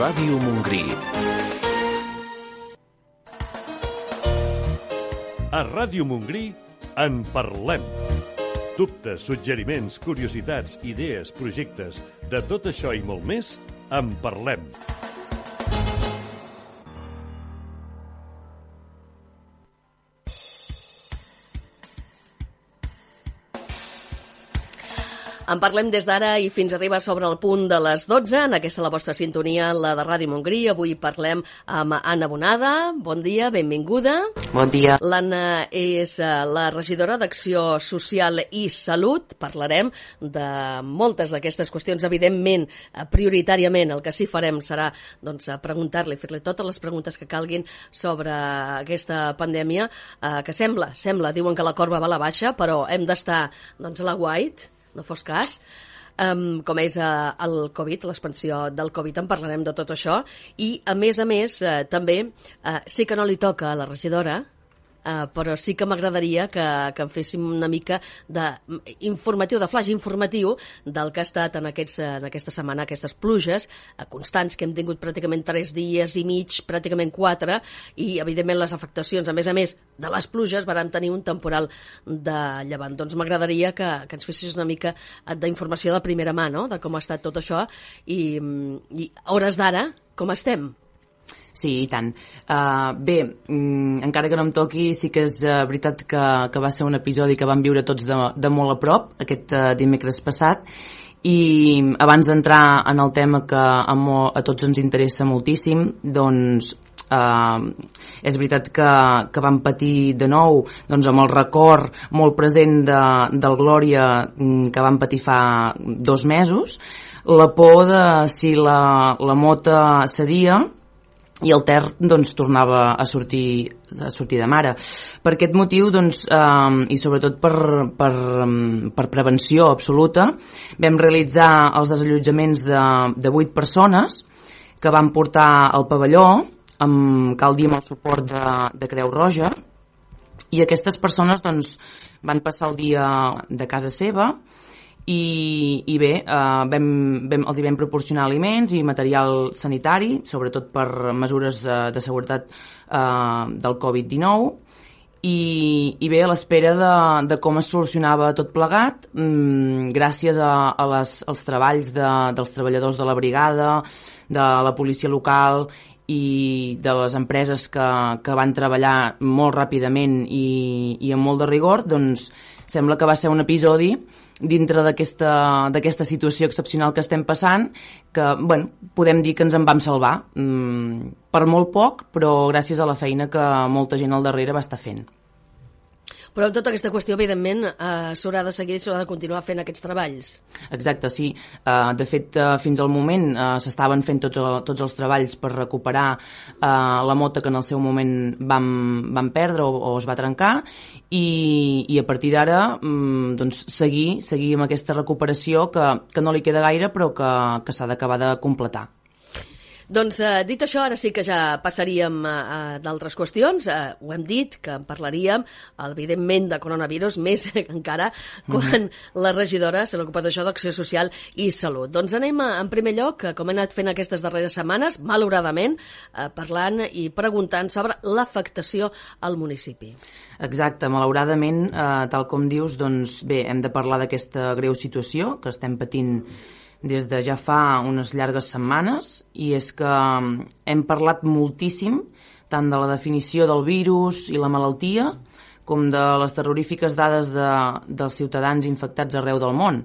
Ràdio Montgrí. A Ràdio Montgrí en parlem. Dubtes, suggeriments, curiositats, idees, projectes, de tot això i molt més, en parlem. En parlem des d'ara i fins arriba sobre el punt de les 12. En aquesta la vostra sintonia, la de Ràdio Montgrí. Avui parlem amb Anna Bonada. Bon dia, benvinguda. Bon dia. L'Anna és la regidora d'Acció Social i Salut. Parlarem de moltes d'aquestes qüestions. Evidentment, prioritàriament, el que sí farem serà preguntar-li, fer-li totes les preguntes que calguin sobre aquesta pandèmia, que sembla, diuen que la corba va a la baixa, però hem d'estar a l'aguait, no fos cas, com és el Covid, l'expansió del Covid, en parlarem de tot això, i a més, també, sí que no li toca a la regidora, però sí que m'agradaria que en féssim una mica d'informatiu, de flash informatiu del que ha estat en aquesta setmana, aquestes pluges constants que hem tingut pràcticament 3 dies i mig, pràcticament 4, i evidentment les afectacions, a més de les pluges, vam tenir un temporal de llevant. Doncs m'agradaria que ens fessis una mica d'informació de primera mà, no?, de com ha estat tot això, i a hores d'ara, com estem? Sí, i tant. Bé, encara que no em toqui, sí que és veritat que va ser un episodi que vam viure tots de molt a prop, aquest dimecres passat, i abans d'entrar en el tema que a tots ens interessa moltíssim, doncs és veritat que vam patir de nou amb el record molt present del Glòria que vam patir fa 2 mesos, la por de si la mota cedia i el Ter tornava a sortir de mare. Per aquest motiu, i sobretot per prevenció absoluta, vam realitzar els desallotjaments de 8 persones que van portar al pavelló, cal dir, amb el suport de Creu Roja, i aquestes persones van passar el dia de casa seva, i bé, els hi vam proporcionar aliments i material sanitari, sobretot per mesures de seguretat del Covid-19, i bé, a l'espera de com es solucionava tot plegat, gràcies als treballs dels treballadors de la brigada, de la policia local i de les empreses que van treballar molt ràpidament i amb molt de rigor, sembla que va ser un episodi dintre d'aquesta situació excepcional que estem passant, que podem dir que ens en vam salvar, per molt poc, però gràcies a la feina que molta gent al darrere va estar fent. Però amb tota aquesta qüestió, evidentment, s'haurà de seguir, s'haurà de continuar fent aquests treballs. Exacte, sí. De fet, fins al moment s'estaven fent tots els treballs per recuperar la mota que en el seu moment vam perdre o es va trencar, i a partir d'ara seguir amb aquesta recuperació que no li queda gaire, però que s'ha d'acabar de completar. Doncs, dit això, ara sí que ja passaríem a d'altres qüestions. Ho hem dit, que en parlaríem, evidentment, de coronavirus, més encara quan la regidora se n'ocupa d'això, d'Acció Social i Salut. Doncs anem, en primer lloc, com hem anat fent aquestes darreres setmanes, malauradament, parlant i preguntant sobre l'afectació al municipi. Exacte, malauradament, tal com dius, bé, hem de parlar d'aquesta greu situació que estem patint des de ja fa unes llargues setmanes, i és que hem parlat moltíssim tant de la definició del virus i la malaltia com de les terrorífiques dades dels ciutadans infectats arreu del món.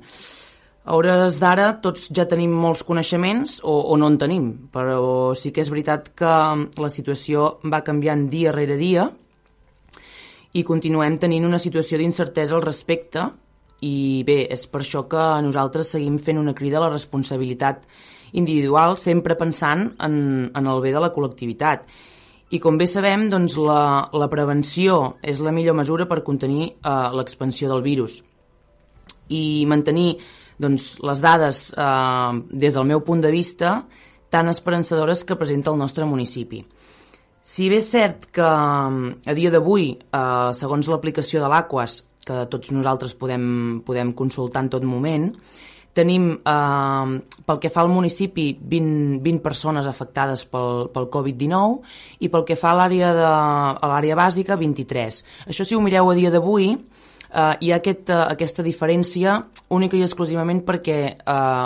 A hores d'ara tots ja tenim molts coneixements o no en tenim, però sí que és veritat que la situació va canviant dia rere dia i continuem tenint una situació d'incertesa al respecte. I bé, és per això que nosaltres seguim fent una crida a la responsabilitat individual, sempre pensant en el bé de la col·lectivitat. I com bé sabem, la prevenció és la millor mesura per contenir l'expansió del virus. I mantenir les dades, des del meu punt de vista, tan esperançadores que presenta el nostre municipi. Si bé és cert que a dia d'avui, segons l'aplicació de l'Aquas, que tots nosaltres podem consultar en tot moment, tenim, pel que fa al municipi, 20 persones afectades pel Covid-19 i pel que fa a l'àrea bàsica, 23. Això, si ho mireu a dia d'avui, hi ha aquesta diferència única i exclusivament perquè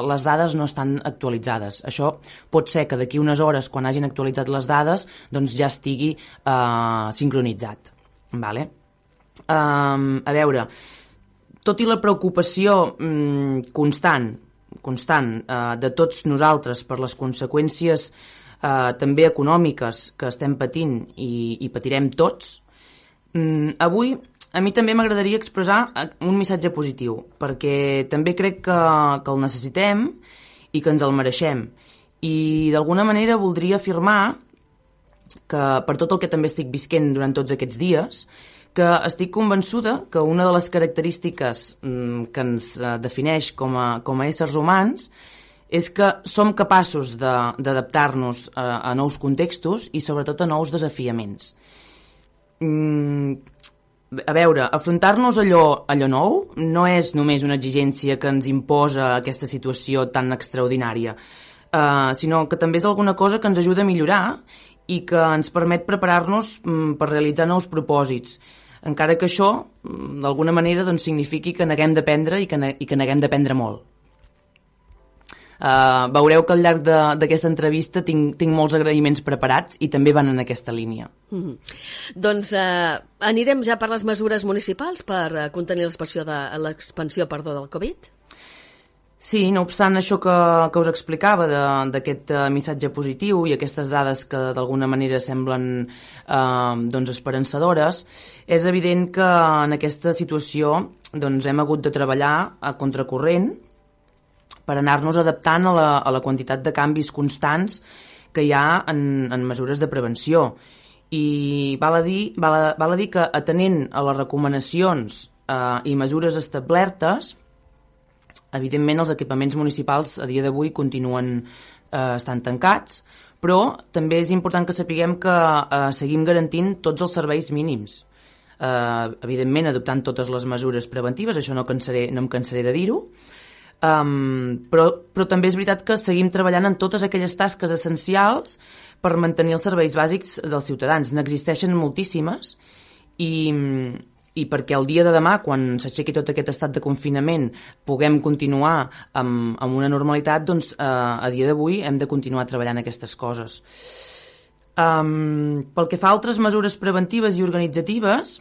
les dades no estan actualitzades. Això pot ser que d'aquí unes hores, quan hagin actualitzat les dades, doncs ja estigui sincronitzat. Vale? A veure, tot i la preocupació constant de tots nosaltres per les conseqüències també econòmiques que estem patint i patirem tots, avui a mi també m'agradaria expressar un missatge positiu, perquè també crec que el necessitem i que ens el mereixem. I d'alguna manera voldria afirmar que, per tot el que també estic visquent durant tots aquests dies, que estic convençuda que una de les característiques que ens defineix com a éssers humans és que som capaços d'adaptar-nos a nous contextos i sobretot a nous desafiaments. A veure, afrontar-nos allò nou no és només una exigència que ens imposa aquesta situació tan extraordinària, sinó que també és alguna cosa que ens ajuda a millorar i que ens permet preparar-nos per realitzar nous propòsits, encara que això, d'alguna manera, doncs, signifiqui que neguem d'aprendre i que neguem d'aprendre molt. Veureu que al llarg d'aquesta entrevista tinc molts agraïments preparats i també van en aquesta línia. Doncs anirem ja per les mesures municipals per contenir l'expansió del Covid? Sí, no obstant això que us explicava d'aquest missatge positiu i aquestes dades que d'alguna manera semblen esperançadores, és evident que en aquesta situació hem hagut de treballar a contracorrent per anar-nos adaptant a la quantitat de canvis constants que hi ha en mesures de prevenció. I val a dir que, atenent a les recomanacions i mesures establertes, evidentment els equipaments municipals a dia d'avui continuen estant tancats, però també és important que sapiguem que seguim garantint tots els serveis mínims. Evidentment, adoptant totes les mesures preventives, això no em cansaré de dir-ho, però també és veritat que seguim treballant en totes aquelles tasques essencials per mantenir els serveis bàsics dels ciutadans. N'existeixen moltíssimes i perquè el dia de demà, quan s'aixequi tot aquest estat de confinament, puguem continuar amb una normalitat, doncs a dia d'avui hem de continuar treballant aquestes coses. Pel que fa a altres mesures preventives i organitzatives,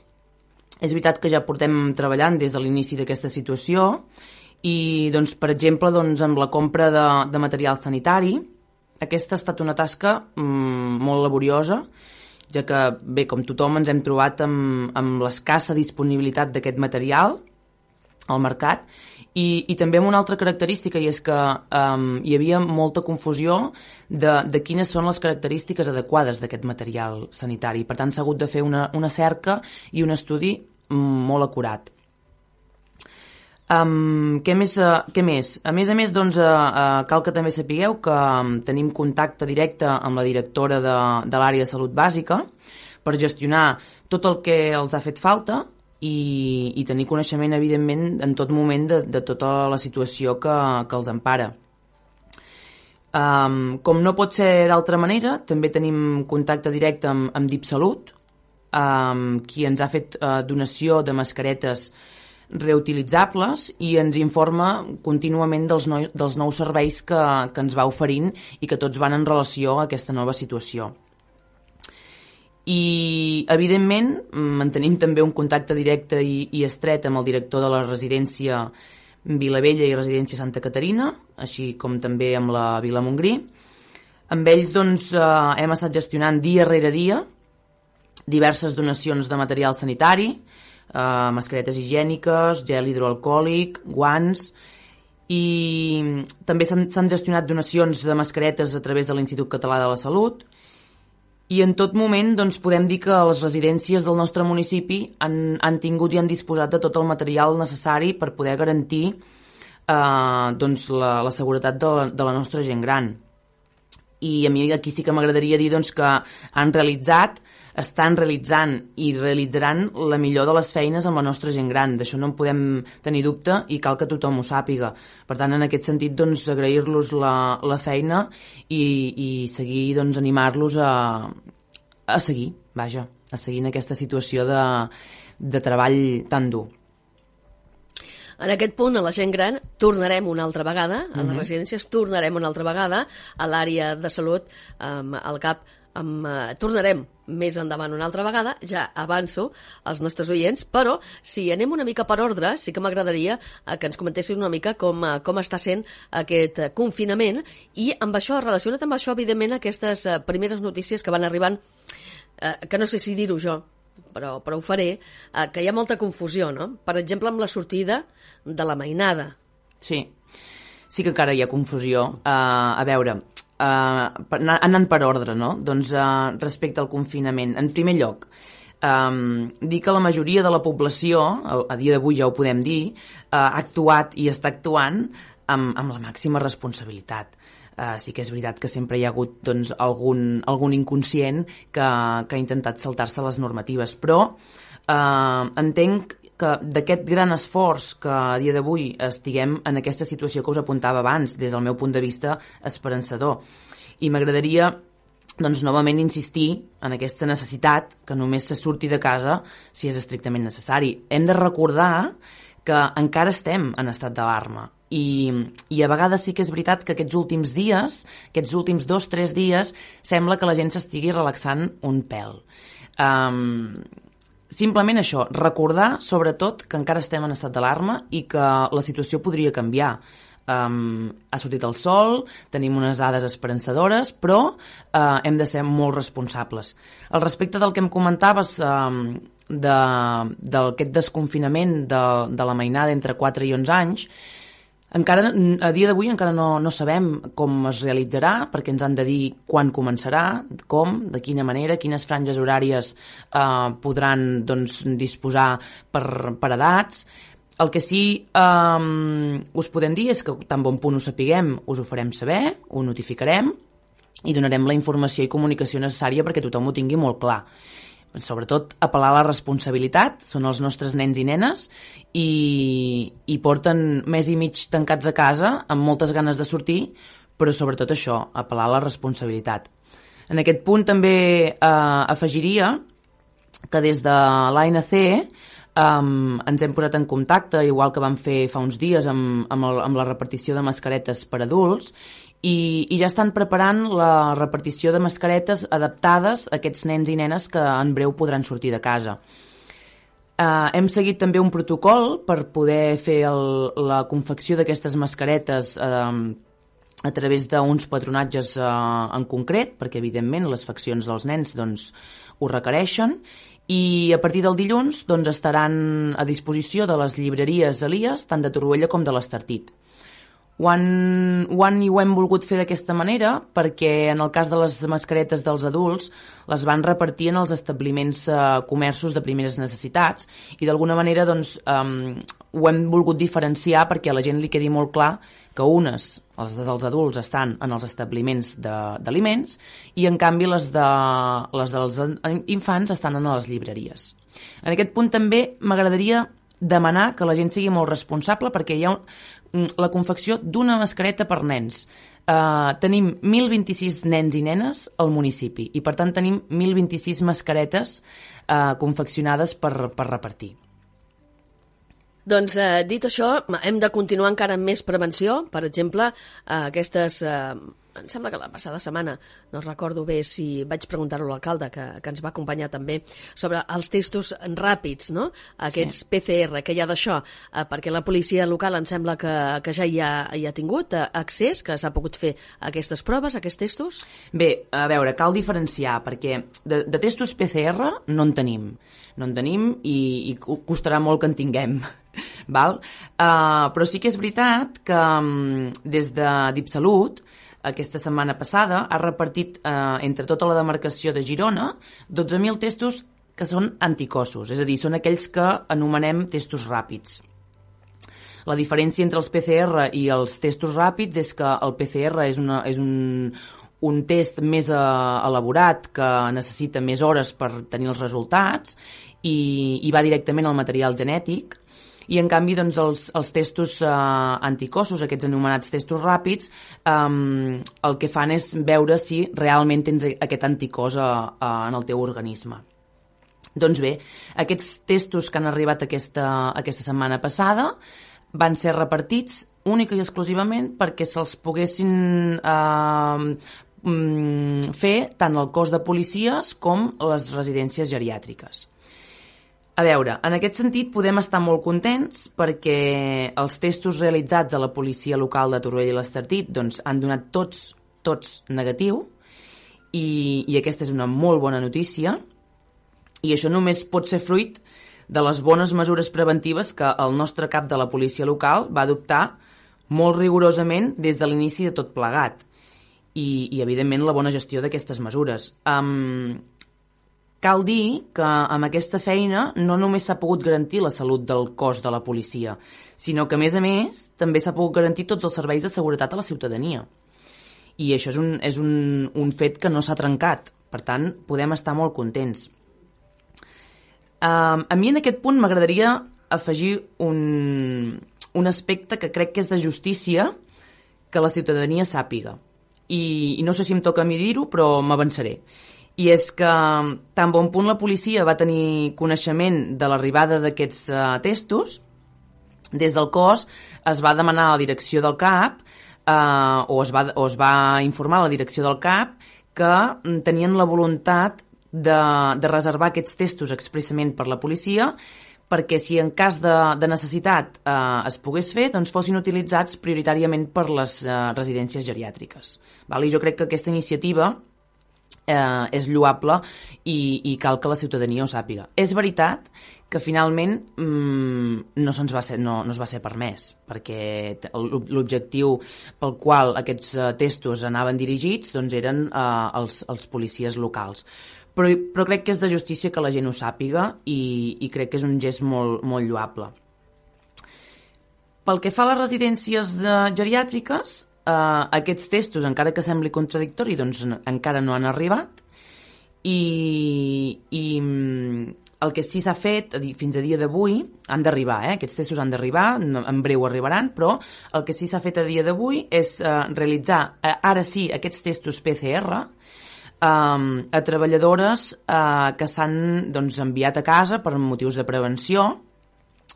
és veritat que ja portem treballant des de l'inici d'aquesta situació i, doncs, per exemple, amb la compra de material sanitari, aquesta ha estat una tasca molt laboriosa, ja que, bé, com tothom ens hem trobat amb l'escassa disponibilitat d'aquest material al mercat i també amb una altra característica, i és que hi havia molta confusió de quines són les característiques adequades d'aquest material sanitari. Per tant, s'ha hagut de fer una cerca i un estudi molt acurat. Què més? A més, doncs, cal que també sapigueu que tenim contacte directe amb la directora de l'àrea de salut bàsica per gestionar tot el que els ha fet falta i tenir coneixement, evidentment, en tot moment de tota la situació que els empara. Com no pot ser d'altra manera, també tenim contacte directe amb DipSalut, qui ens ha fet donació de mascaretes reutilitzables i ens informa contínuament dels nous serveis que ens va oferint i que tots van en relació a aquesta nova situació. I, evidentment, mantenim també un contacte directe i estret amb el director de la residència Vilavella i residència Santa Caterina, així com també amb la Vila Montgrí. Amb ells, doncs, hem estat gestionant dia rere dia diverses donacions de material sanitari, mascaretes higièniques, gel hidroalcohòlic, guants, i també s'han gestionat donacions de mascaretes a través de l'Institut Català de la Salut, i en tot moment, doncs, podem dir que les residències del nostre municipi han tingut i han disposat de tot el material necessari per poder garantir doncs, la seguretat de la nostra gent gran. I a mi aquí sí que m'agradaria dir, doncs, que han realitzat estan realitzant i realitzaran la millor de les feines amb la nostra gent gran. D'això no en podem tenir dubte i cal que tothom ho sàpiga. Per tant, en aquest sentit, doncs, agrair-los la feina i seguir, doncs, animar-los a seguir, vaja, a seguir en aquesta situació de treball tan dur. En aquest punt, a la gent gran, tornarem una altra vegada, a les residències tornarem una altra vegada, a l'àrea de salut, al CAP, tornarem més endavant una altra vegada, ja avanço als nostres oients, però si anem una mica per ordre, sí que m'agradaria que ens comentessis una mica com està sent aquest confinament i amb això, relacionat amb això, evidentment, aquestes primeres notícies que van arribant, que no sé si dir-ho jo, però ho faré, que hi ha molta confusió, no? Per exemple, amb la sortida de la mainada. Sí que encara hi ha confusió. A veure, anant per ordre, no? Doncs respecte al confinament, en primer lloc, dir que la majoria de la població, a dia d'avui ja ho podem dir, ha actuat i està actuant amb la màxima responsabilitat. Sí que és veritat que sempre hi ha hagut, doncs, algun inconscient que ha intentat saltar-se les normatives, però entenc que d'aquest gran esforç que a dia d'avui estiguem en aquesta situació que us apuntava abans, des del meu punt de vista esperançador. I m'agradaria, doncs, novament insistir en aquesta necessitat que només se surti de casa si és estrictament necessari. Hem de recordar que encara estem en estat d'alarma i a vegades sí que és veritat que aquests últims dies, aquests últims 2-3 dies, sembla que la gent s'estigui relaxant un pèl. Simplement això, recordar sobretot que encara estem en estat d'alarma i que la situació podria canviar. Ha sortit el sol, tenim unes dades esperançadores, però hem de ser molt responsables. Al respecte del que em comentaves d'aquest desconfinament de la mainada entre 4 i 11 anys, encara, a dia d'avui encara no sabem com es realitzarà, perquè ens han de dir quan començarà, com, de quina manera, quines franges horàries podran, doncs, disposar per edats. El que sí us podem dir és que tan bon punt ho sapiguem, us ho farem saber, ho notificarem i donarem la informació i comunicació necessària perquè tothom ho tingui molt clar. Sobretot apel·lar a la responsabilitat, són els nostres nens i nenes i porten mes i mig tancats a casa amb moltes ganes de sortir, però sobretot això, apel·lar a la responsabilitat. En aquest punt també afegiria que des de l'ANC ens hem posat en contacte, igual que vam fer fa uns dies amb la repartició de mascaretes per adults, i ja estan preparant la repartició de mascaretes adaptades a aquests nens i nenes que en breu podran sortir de casa. Hem seguit també un protocol per poder fer la confecció d'aquestes mascaretes a través d'uns patronatges en concret, perquè evidentment les faccions dels nens doncs, ho requereixen, i a partir del dilluns doncs, estaran a disposició de les llibreries Elies, tant de Torroella com de l'Estartit. Ho hem volgut fer d'aquesta manera perquè en el cas de les mascaretes dels adults les van repartir en els establiments comerços de primeres necessitats i d'alguna manera doncs, ho hem volgut diferenciar perquè a la gent li quedi molt clar que unes, els dels adults, estan en els establiments d'aliments i en canvi les dels infants estan en les llibreries. En aquest punt també m'agradaria demanar que la gent sigui molt responsable perquè hi ha la confecció d'una mascareta per nens. Tenim 1.026 nens i nenes al municipi i per tant tenim 1.026 mascaretes confeccionades per repartir. Doncs, dit això, hem de continuar encara amb més prevenció. Per exemple, aquestes... Em sembla que la passada setmana, no recordo bé si vaig preguntar-ho a l'alcalde, que ens va acompanyar també, sobre els testos ràpids, no? Aquests PCR, que hi ha d'això, perquè la policia local em sembla que ja hi ha tingut accés, que s'ha pogut fer aquestes proves, aquests testos? Bé, a veure, cal diferenciar, perquè de testos PCR no en tenim. No en tenim i costarà molt que en tinguem. Val? Però sí que és veritat que des de DipSalut aquesta setmana passada ha repartit entre tota la demarcació de Girona 12.000 testos que són anticossos, és a dir, són aquells que anomenem testos ràpids. La diferència entre els PCR i els testos ràpids és que el PCR és un test més elaborat que necessita més hores per tenir els resultats i va directament al material genètic. I en canvi doncs, els testos anticossos, aquests anomenats testos ràpids, el que fan és veure si realment tens aquest anticòs en el teu organisme. Doncs bé, aquests testos que han arribat aquesta setmana passada van ser repartits única i exclusivament perquè se'ls poguessin fer tant el cos de policies com les residències geriàtriques. A veure, en aquest sentit podem estar molt contents perquè els testos realitzats a la policia local de Torroella i l'Estartit doncs, han donat tots negatiu i aquesta és una molt bona notícia i això només pot ser fruit de les bones mesures preventives que el nostre cap de la policia local va adoptar molt rigorosament des de l'inici de tot plegat i evidentment, la bona gestió d'aquestes mesures. Cal dir que amb aquesta feina no només s'ha pogut garantir la salut del cos de la policia, sinó que, a més, també s'ha pogut garantir tots els serveis de seguretat a la ciutadania. I això és un fet que no s'ha trencat. Per tant, podem estar molt contents. A mi en aquest punt m'agradaria afegir un aspecte que crec que és de justícia que la ciutadania sàpiga. I no sé si em toca a mi dir-ho, però m'avançaré. I és que tan bon punt la policia va tenir coneixement de l'arribada d'aquests testos, des del cos es va demanar a la direcció del CAP o es va informar a la direcció del CAP que tenien la voluntat de reservar aquests testos expressament per la policia perquè si en cas de necessitat es pogués fer, doncs fossin utilitzats prioritàriament per les residències geriàtriques. I jo crec que aquesta iniciativa és lloable i cal que la ciutadania ho sàpiga. És veritat que finalment no es va ser permès, perquè l'objectiu pel qual aquests testos anaven dirigits doncs eren als policies locals. Però crec que és de justícia que la gent ho sàpiga i crec que és un gest molt, molt lloable. Pel que fa a les residències geriàtriques, aquests testos, encara que sembli contradictori, doncs encara no han arribat i el que sí s'ha fet fins a dia d'avui, han d'arribar, aquests testos han d'arribar, en breu arribaran, però el que sí s'ha fet a dia d'avui és realitzar, ara sí, aquests testos PCR a treballadores que s'han enviat a casa per motius de prevenció.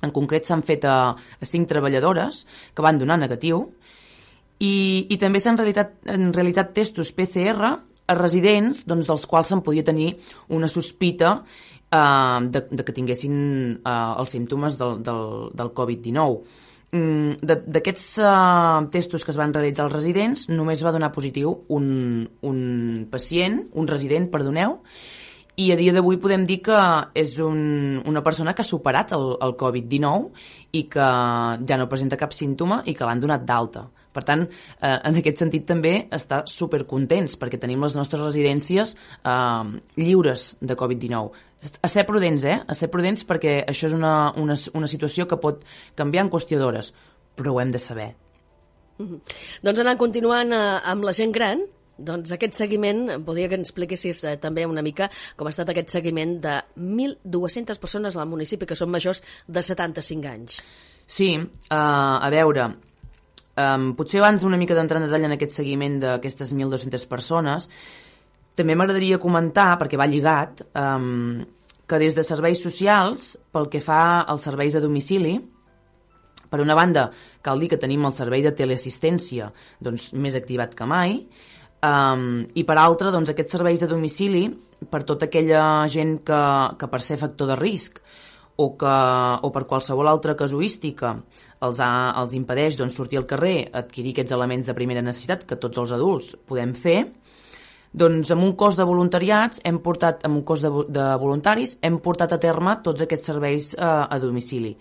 En concret s'han fet a 5 treballadores que van donar negatiu i també s'han realitzat testos PCR a residents dels quals se'n podia tenir una sospita de que tinguessin els símptomes del Covid-19. D'aquests testos que es van realitzar als residents només va donar positiu un resident, i a dia d'avui podem dir que és una persona que ha superat el Covid-19 i que ja no presenta cap símptoma i que l'han donat d'alta. Per tant, en aquest sentit també està supercontents perquè tenim les nostres residències lliures de Covid-19. A ser prudents, a ser prudents perquè això és una situació que pot canviar en qüestió d'hores, però ho hem de saber. Doncs anant continuant amb la gent gran, doncs aquest seguiment, voldria que ens expliquessis també una mica com ha estat aquest seguiment de 1.200 persones al municipi que són majors de 75 anys. Sí, a veure, potser abans una mica d'entrar en detall en aquest seguiment d'aquestes 1.200 persones, també m'agradaria comentar, perquè va lligat, que des de serveis socials, pel que fa als serveis a domicili, per una banda, cal dir que tenim el servei de teleassistència més activat que mai, i per altra, aquests serveis a domicili, per tota aquella gent que per ser factor de risc o per qualsevol altra casuística els impedeix sortir al carrer, adquirir aquests elements de primera necessitat que tots els adults podem fer, doncs amb un cos de voluntariats amb un cos de voluntaris hem portat a terme tots aquests serveis a domicili.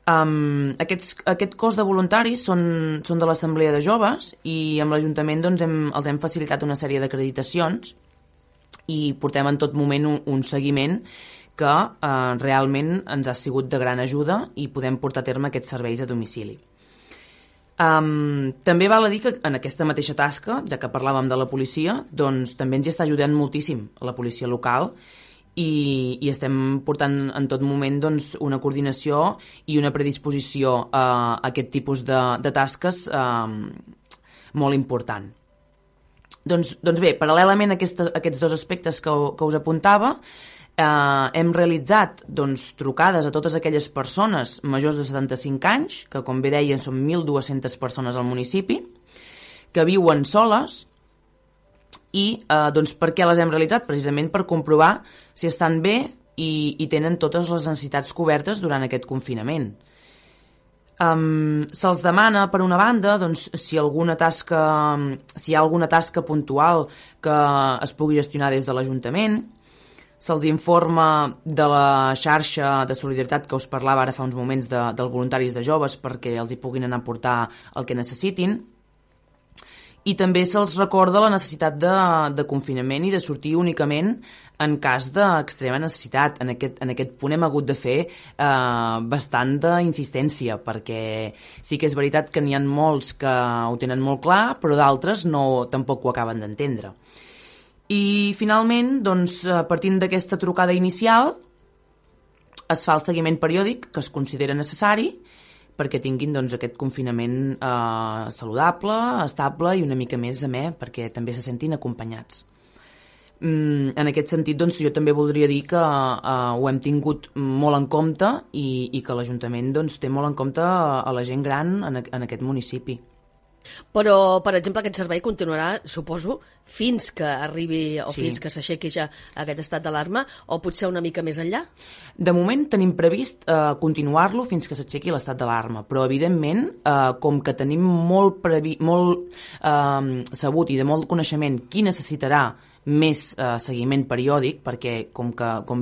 Aquest cos de voluntaris són de l'Assemblea de Joves i amb l'Ajuntament els hem facilitat una sèrie d'acreditacions i portem en tot moment un seguiment que realment ens ha sigut de gran ajuda i podem portar a terme aquests serveis a domicili. També val a dir que en aquesta mateixa tasca, ja que parlàvem de la policia, doncs també ens hi està ajudant moltíssim la policia local i estem portant en tot moment doncs, una coordinació i una predisposició a aquest tipus de tasques molt important. Doncs bé, paral·lelament a aquests dos aspectes que us apuntava, hem realitzat doncs, trucades a totes aquelles persones majors de 75 anys, que com bé deien són 1.200 persones al municipi, que viuen soles i doncs, per què les hem realitzat? Precisament per comprovar si estan bé i tenen totes les necessitats cobertes durant aquest confinament. Se'ls demana, per una banda, doncs, si hi ha alguna tasca puntual que es pugui gestionar des de l'Ajuntament. Se'ls informa de la xarxa de solidaritat que us parlava ara fa uns moments dels voluntaris de joves perquè els hi puguin anar a portar el que necessitin. I també se'ls recorda la necessitat de confinament i de sortir únicament en cas d'extrema necessitat. En aquest punt hem hagut de fer bastant d'insistència perquè sí que és veritat que n'hi ha molts que ho tenen molt clar, però d'altres tampoc ho acaben d'entendre. I finalment, doncs, partint d'aquesta trucada inicial, es fa el seguiment periòdic que es considera necessari perquè tinguin doncs, aquest confinament saludable, estable i una mica més amè perquè també se sentin acompanyats. En aquest sentit, doncs, jo també voldria dir que ho hem tingut molt en compte i que l'Ajuntament doncs, té molt en compte a la gent gran en aquest municipi. Però, per exemple, aquest servei continuarà, suposo, fins que arribi o fins que s'aixequi ja aquest estat d'alarma, o potser una mica més enllà? De moment tenim previst continuar-lo fins que s'aixequi l'estat d'alarma, però evidentment, com que tenim molt sabut i de molt coneixement qui necessitarà més seguiment periòdic, perquè com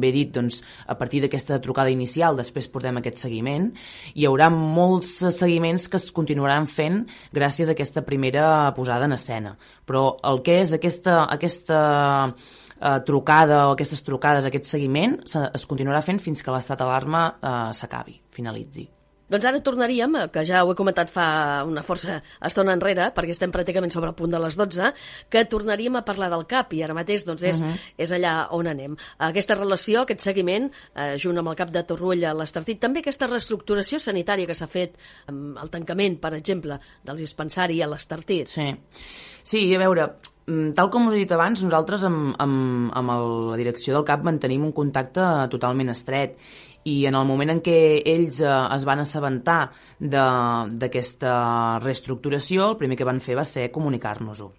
bé he dit, doncs, a partir d'aquesta trucada inicial després portem aquest seguiment, hi haurà molts seguiments que es continuaran fent gràcies a aquesta primera posada en escena. Però el que és aquesta trucada o aquestes trucades, aquest seguiment, es continuarà fent fins que l'estat d'alarma s'acabi, finalitzi. Doncs ara tornaríem, que ja ho he comentat fa una força estona enrere, perquè estem pràcticament sobre el punt de les 12, que tornaríem a parlar del CAP, i ara mateix doncs, és allà on anem. Aquesta relació, aquest seguiment, junt amb el CAP de Torroella a l'Estartit, també aquesta reestructuració sanitària que s'ha fet amb el tancament, per exemple, del dispensari a l'Estartit. Sí, a veure, tal com us he dit abans, nosaltres amb la direcció del CAP mantenim un contacte totalment estret i en el moment en què ells es van assabentar d'aquesta reestructuració, el primer que van fer va ser comunicar-nos-ho.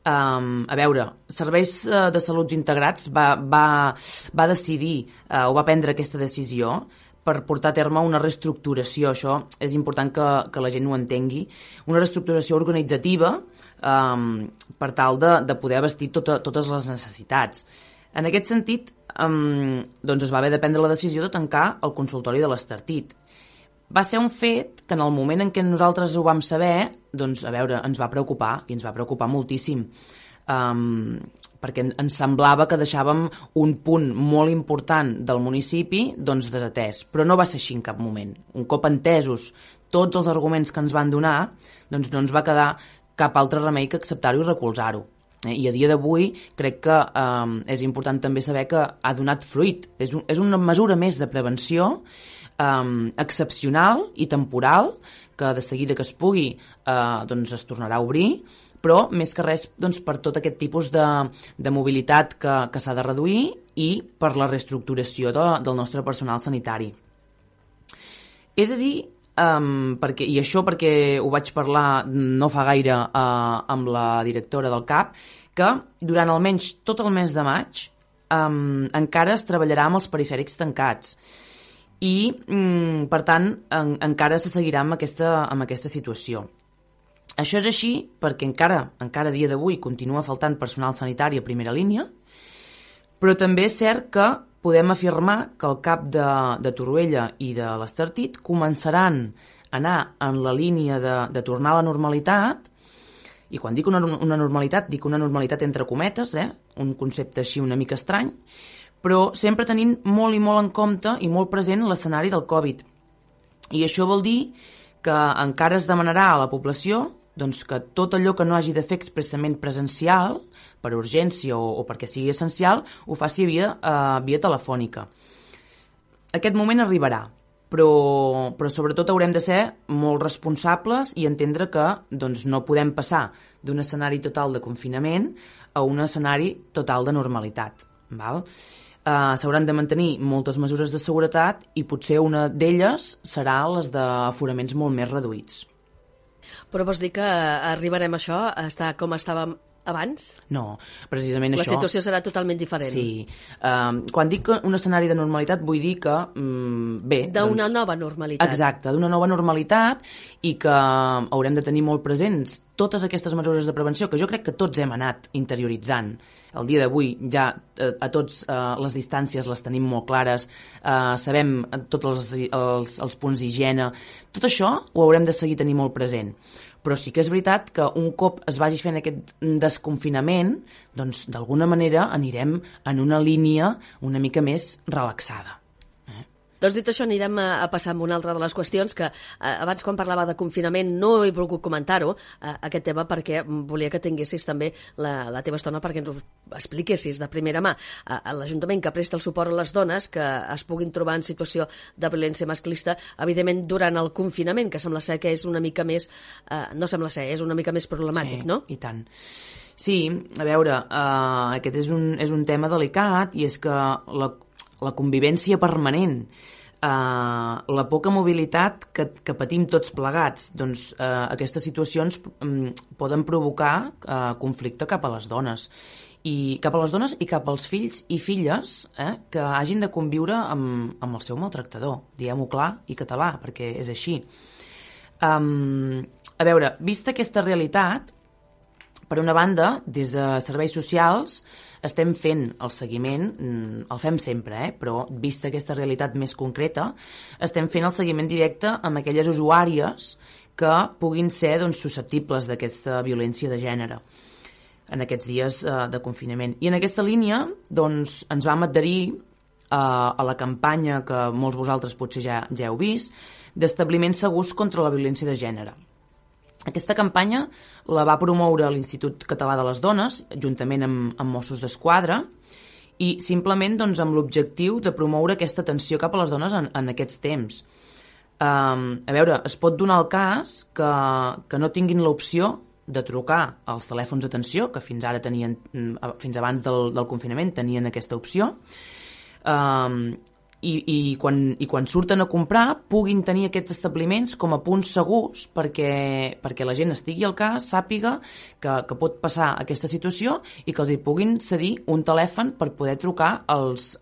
A veure, Serveis de Salut Integrats va decidir o va prendre aquesta decisió per portar a terme una reestructuració. Això és important que la gent ho entengui. Una reestructuració organitzativa per tal de poder abastir totes les necessitats. En aquest sentit, doncs es va haver de prendre la decisió de tancar el consultori de l'Estartit. Va ser un fet que en el moment en què nosaltres ho vam saber, doncs, a veure, ens va preocupar, i ens va preocupar moltíssim, perquè ens semblava que deixàvem un punt molt important del municipi doncs, desatès, però no va ser així en cap moment. Un cop entesos tots els arguments que ens van donar, doncs no ens va quedar cap altre remei que acceptar-ho i recolzar-ho. I a dia d'avui crec que és important també saber que ha donat fruit. És una mesura més de prevenció excepcional i temporal que de seguida que es pugui doncs es tornarà a obrir, però més que res doncs, per tot aquest tipus de mobilitat que s'ha de reduir i per la reestructuració del nostre personal sanitari. He de dir i això perquè ho vaig parlar no fa gaire amb la directora del CAP, que durant almenys tot el mes de maig encara es treballarà amb els perifèrics tancats i per tant encara se seguirà amb aquesta situació. Això és així perquè encara a dia d'avui continua faltant personal sanitari a primera línia, però també és cert que podem afirmar que el CAP de Torroella i de l'Estartit començaran a anar en la línia de tornar a la normalitat, i quan dic una normalitat, dic una normalitat entre cometes, un concepte així una mica estrany, però sempre tenint molt i molt en compte i molt present l'escenari del Covid. I això vol dir que encara es demanarà a la població doncs, que tot allò que no hagi de fer expressament presencial, per urgència o perquè sigui essencial, ho faci via telefònica. Aquest moment arribarà, però sobretot haurem de ser molt responsables i entendre que doncs, no podem passar d'un escenari total de confinament a un escenari total de normalitat. Val? S'hauran de mantenir moltes mesures de seguretat i potser una d'elles serà les d'aforaments molt més reduïts. Però vols dir que arribarem a això, a estar com estàvem abans? No, precisament La això... situació serà totalment diferent. Sí. Quan dic un escenari de normalitat vull dir que, bé... D'una nova normalitat. Exacte, d'una nova normalitat i que haurem de tenir molt presents totes aquestes mesures de prevenció que jo crec que tots hem anat interioritzant. El dia d'avui ja a tots les distàncies les tenim molt clares, sabem tots els punts d'higiene. Tot això ho haurem de seguir tenint molt present. Però sí que és veritat que un cop es vagi fent aquest desconfinament, doncs d'alguna manera anirem en una línia una mica més relaxada. Doncs dit això, anirem a passar amb una altra de les qüestions que abans quan parlava de confinament no he volgut comentar-ho, aquest tema, perquè volia que tinguessis també la teva estona perquè ens ho expliquessis de primera mà. L'Ajuntament que presta el suport a les dones que es puguin trobar en situació de violència masclista, evidentment durant el confinament, que sembla ser que és una mica més... no sembla ser, és una mica més problemàtic, sí, no? I tant. Sí, a veure, aquest és un tema delicat i és que la convivència permanent, la poca mobilitat que patim tots plegats, doncs aquestes situacions poden provocar conflicte cap a les dones. I cap a les dones i cap als fills i filles que hagin de conviure amb el seu maltractador. Diguem-ho clar i català, perquè és així. A veure, vista aquesta realitat, per una banda, des de serveis socials estem fent el seguiment, el fem sempre, però vista aquesta realitat més concreta, estem fent el seguiment directe amb aquelles usuàries que puguin ser doncs, susceptibles d'aquesta violència de gènere en aquests dies de confinament. I en aquesta línia doncs, ens vam adherir a la campanya que molts vosaltres potser ja heu vist, d'establiments segurs contra la violència de gènere. Aquesta campanya la va promoure l'Institut Català de les Dones, juntament amb Mossos d'Esquadra, i simplement doncs, amb l'objectiu de promoure aquesta atenció cap a les dones en aquests temps. A veure, es pot donar el cas que no tinguin l'opció de trucar als telèfons d'atenció, que fins ara tenien, fins abans del confinament tenien aquesta opció, i quan surten a comprar puguin tenir aquests establiments com a punts segurs perquè la gent estigui al cas, sàpiga que pot passar aquesta situació i que els hi puguin cedir un telèfon per poder trucar als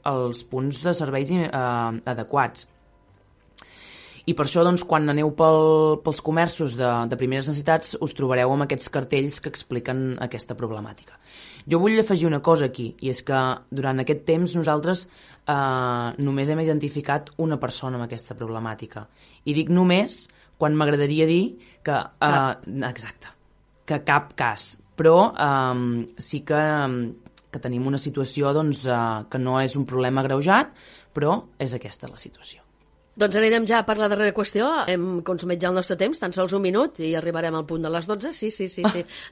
punts de serveis adequats. I per això, doncs, quan aneu pels comerços de primeres necessitats, us trobareu amb aquests cartells que expliquen aquesta problemàtica. Jo vull afegir una cosa aquí, i és que durant aquest temps nosaltres només hem identificat una persona amb aquesta problemàtica. I dic només quan m'agradaria dir que... exacte, que cap cas. Però sí que tenim una situació doncs, que no és un problema agreujat, però és aquesta la situació. Doncs anirem ja per la darrera qüestió. Hem consumit ja el nostre temps, tan sols un minut, i arribarem al punt de les 12. Sí.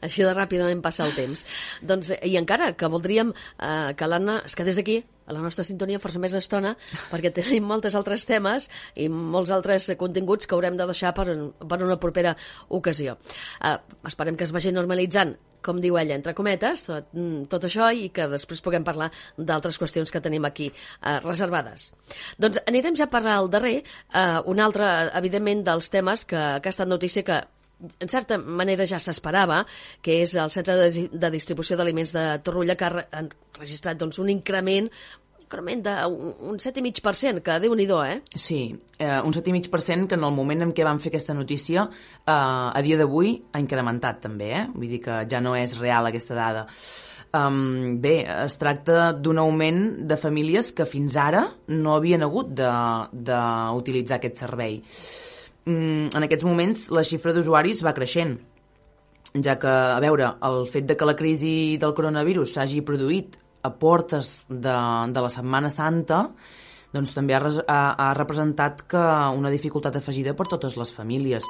Així de ràpidament passa el temps. Doncs, i encara que voldríem que l'Anna es quedés aquí, a la nostra sintonia, força més estona, perquè tenim moltes altres temes i molts altres continguts que haurem de deixar per una propera ocasió. Esperem que es vagi normalitzant, com diu ella, entre cometes, tot això, i que després puguem parlar d'altres qüestions que tenim aquí reservades. Doncs anirem ja per al darrer, un altre, evidentment, dels temes que ha estat notícia que en certa manera ja s'esperava, que és el Centre de Distribució d'Aliments de Torroella, que ha registrat doncs, un increment d'un 7,5%, que Déu-n'hi-do, Sí, un 7,5% que en el moment en què vam fer aquesta notícia, a dia d'avui ha incrementat també, Vull dir que ja no és real aquesta dada. Bé, es tracta d'un augment de famílies que fins ara no havien hagut d'utilitzar aquest servei. En aquests moments la xifra d'usuaris va creixent, ja que, a veure, el fet de que la crisi del coronavirus s'hagi produït a portes de la Setmana Santa, doncs també ha representat que una dificultat afegida per totes les famílies.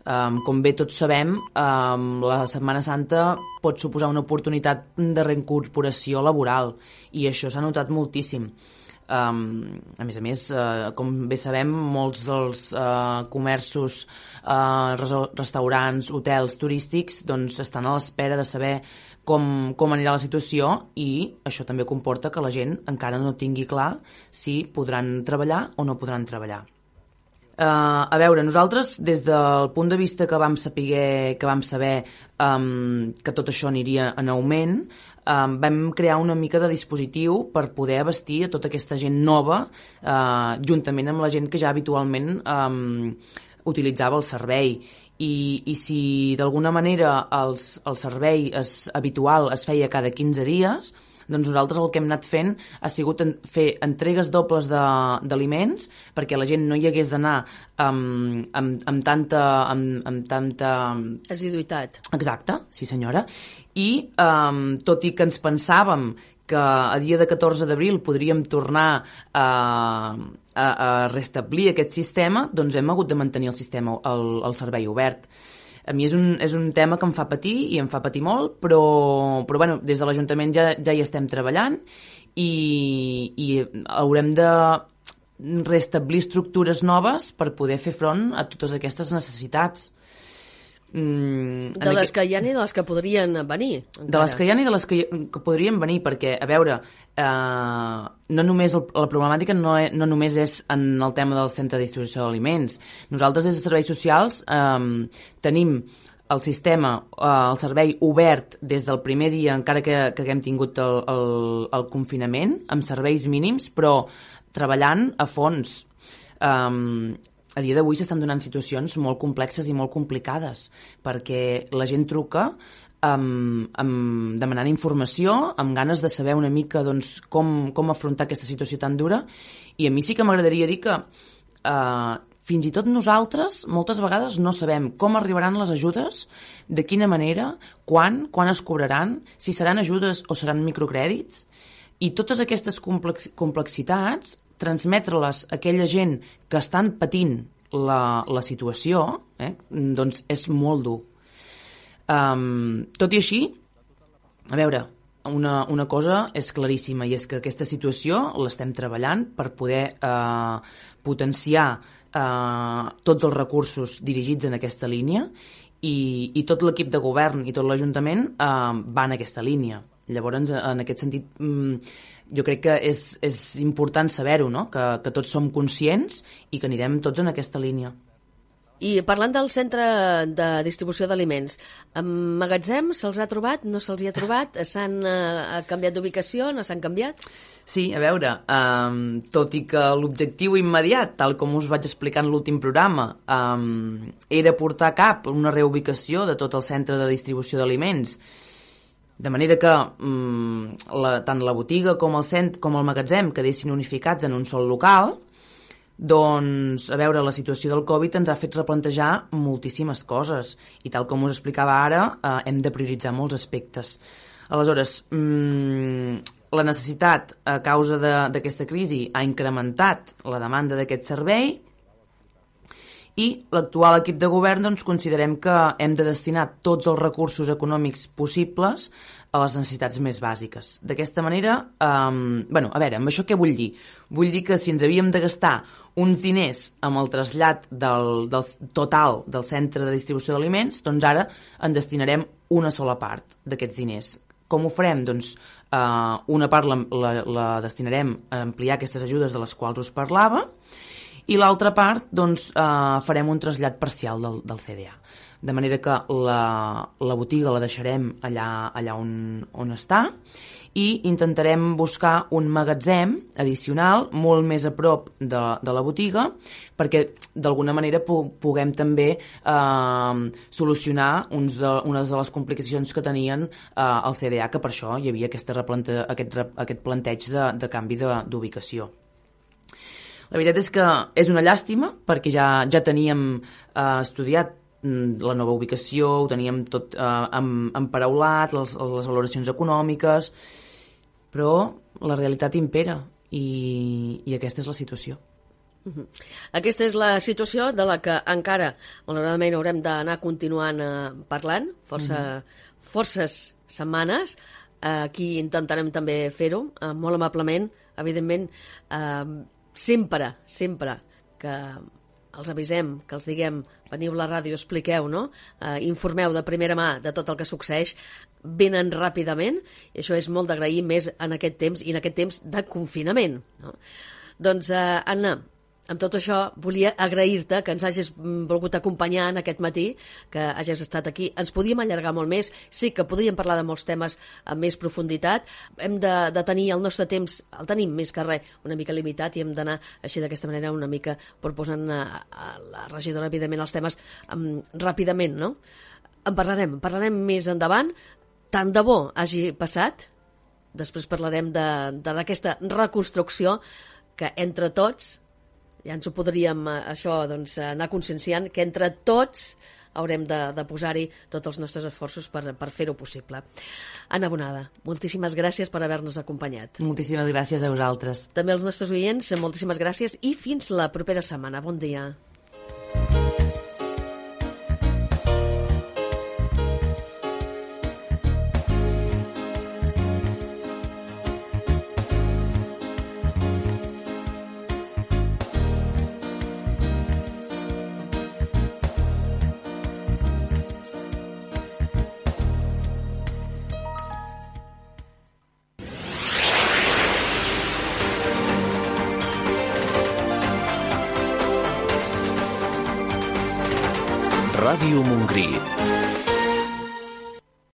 Com bé tots sabem, la Setmana Santa pot suposar una oportunitat de reincorporació laboral i això s'ha notat moltíssim. A més, com bé sabem, molts dels comerços, restaurants, hotels turístics doncs estan a l'espera de saber com anirà la situació i això també comporta que la gent encara no tingui clar si podran treballar o no podran treballar. A veure, nosaltres, des del punt de vista que vam saber que tot això aniria en augment, vam crear una mica de dispositiu per poder abastir a tota aquesta gent nova, juntament amb la gent que ja habitualment utilitzava el servei. I si d'alguna manera el servei habitual es feia cada 15 dies, doncs nosaltres el que hem anat fent ha sigut fer entregues dobles d'aliments perquè la gent no hi hagués d'anar amb tanta assiduïtat. Exacte, sí senyora. I tot i que ens pensàvem que a dia de 14 d'abril podríem tornar a restablir aquest sistema, doncs hem hagut de mantenir el sistema, el servei obert. A mi és un tema que em fa patir i em fa patir molt, però bueno, des de l'Ajuntament ja hi estem treballant i haurem de restablir estructures noves per poder fer front a totes aquestes necessitats. De les que hi ha i de les que podrien venir. Encara. De les que hi ha i de les que podrien venir, perquè, a veure, no només la problemàtica no només és en el tema del centre de distribució d'aliments. Nosaltres, des de serveis socials, tenim el sistema, el servei obert des del primer dia, encara que haguem tingut el confinament, amb serveis mínims, però treballant a fons. A dia d'avui s'estan donant situacions molt complexes i molt complicades, perquè la gent truca demanant informació, amb ganes de saber una mica doncs, com afrontar aquesta situació tan dura, i a mi sí que m'agradaria dir que fins i tot nosaltres moltes vegades no sabem com arribaran les ajudes, de quina manera, quan es cobraran, si seran ajudes o seran microcrèdits, i totes aquestes complexitats transmetre-les a aquella gent que estan patint la situació, doncs és molt dur. Tot i així, a veure, una cosa és claríssima i és que aquesta situació l'estem treballant per poder potenciar tots els recursos dirigits en aquesta línia i tot l'equip de govern i tot l'Ajuntament va en aquesta línia. Llavors, en aquest sentit, jo crec que és important saber-ho, no? Que tots som conscients i que anirem tots en aquesta línia. I parlant del centre de distribució d'aliments, magatzem se'ls ha trobat, no se'ls hi ha trobat? S'han canviat d'ubicació, no s'han canviat? Sí, a veure, tot i que l'objectiu immediat, tal com us vaig explicar en l'últim programa, era portar a cap una reubicació de tot el centre de distribució d'aliments, de manera que tant la botiga com el magatzem quedessin unificats en un sol local, doncs, a veure, la situació del Covid ens ha fet replantejar moltíssimes coses i tal com us explicava ara, hem de prioritzar molts aspectes. Aleshores, la necessitat a causa d'aquesta crisi ha incrementat la demanda d'aquest servei i l'actual equip de govern doncs, considerem que hem de destinar tots els recursos econòmics possibles a les necessitats més bàsiques. D'aquesta manera, a veure, amb això què vull dir? Vull dir que si ens havíem de gastar uns diners amb el trasllat del total del centre de distribució d'aliments, doncs ara en destinarem una sola part d'aquests diners. Com ho farem? Doncs una part la destinarem a ampliar aquestes ajudes de les quals us parlava, i l'altra part doncs, farem un trasllat parcial del CDA. De manera que la botiga la deixarem allà on està i intentarem buscar un magatzem addicional molt més a prop de la botiga perquè d'alguna manera puguem també solucionar unes de les complicacions que tenien el CDA, que per això hi havia aquest planteig de canvi d'ubicació. La veritat és que és una llàstima perquè ja teníem estudiat la nova ubicació, ho teníem tot emparaulat, les valoracions econòmiques, però la realitat impera i aquesta és la situació. Aquesta és la situació de la que encara, malauradament, haurem d'anar continuant parlant, forces setmanes. Aquí intentarem també fer-ho, molt amablement, evidentment, sempre que els avisem, que els diguem, veniu a la ràdio, expliqueu, no? Informeu de primera mà de tot el que succeeix, venen ràpidament, i això és molt d'agrair més en aquest temps, i en aquest temps de confinament, no? Doncs, Anna, amb tot això, volia agrair-te que ens hagis volgut acompanyar en aquest matí, que hagis estat aquí. Ens podíem allargar molt més, sí que podríem parlar de molts temes amb més profunditat. Hem de tenir el nostre temps, el tenim més que res, una mica limitat, i hem d'anar així d'aquesta manera una mica proposant a la regidora, evidentment, els temes ràpidament, no? En parlarem més endavant. Tant de bo hagi passat. Després parlarem d'aquesta reconstrucció que entre tots, ja ens ho podríem anar conscienciant, que entre tots haurem de posar-hi tots els nostres esforços per fer-ho possible. Anna Bonada, moltíssimes gràcies per haver-nos acompanyat. Moltíssimes gràcies a vosaltres. També als nostres oients, moltíssimes gràcies i fins la propera setmana. Bon dia. Ràdio Montgrí